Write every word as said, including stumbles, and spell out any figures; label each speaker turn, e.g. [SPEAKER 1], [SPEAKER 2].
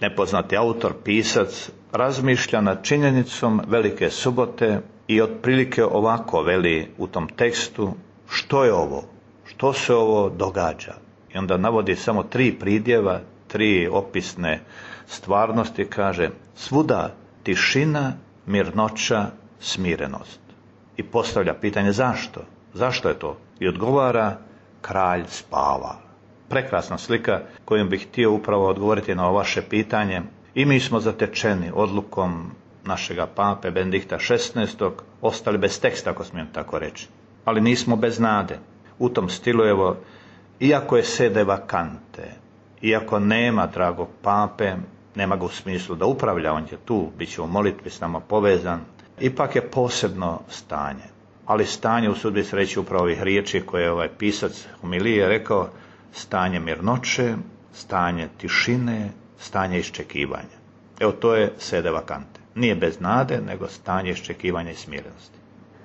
[SPEAKER 1] nepoznati autor, pisac, razmišlja nad činjenicom Velike subote i otprilike ovako veli u tom tekstu: što je ovo? Što se ovo događa? I onda navodi samo tri pridjeva, tri opisne stvarnosti, kaže: svuda tišina, mirnoća, smirenost. I postavlja pitanje zašto? Zašto je to? I odgovara: kralj spava. Prekrasna slika kojom bih htio upravo odgovoriti na ovo vaše pitanje. I mi smo zatečeni odlukom našega pape Benedikta šesnaestog, ostali bez teksta, ako smijem tako reći. Ali nismo bez nade. U tom stilu, evo, iako je sede vakante, iako nema dragog pape, nema ga u smislu da upravlja, on je tu, bit će u molitvi s nama povezan, ipak je posebno stanje. Ali stanje, usudbi se reći upravo ovih riječi koje je ovaj pisac homilije rekao: stanje mirnoće, stanje tišine, stanje iščekivanja. Evo, to je sede vakante. Nije bez nade, nego stanje iščekivanja i smirenosti.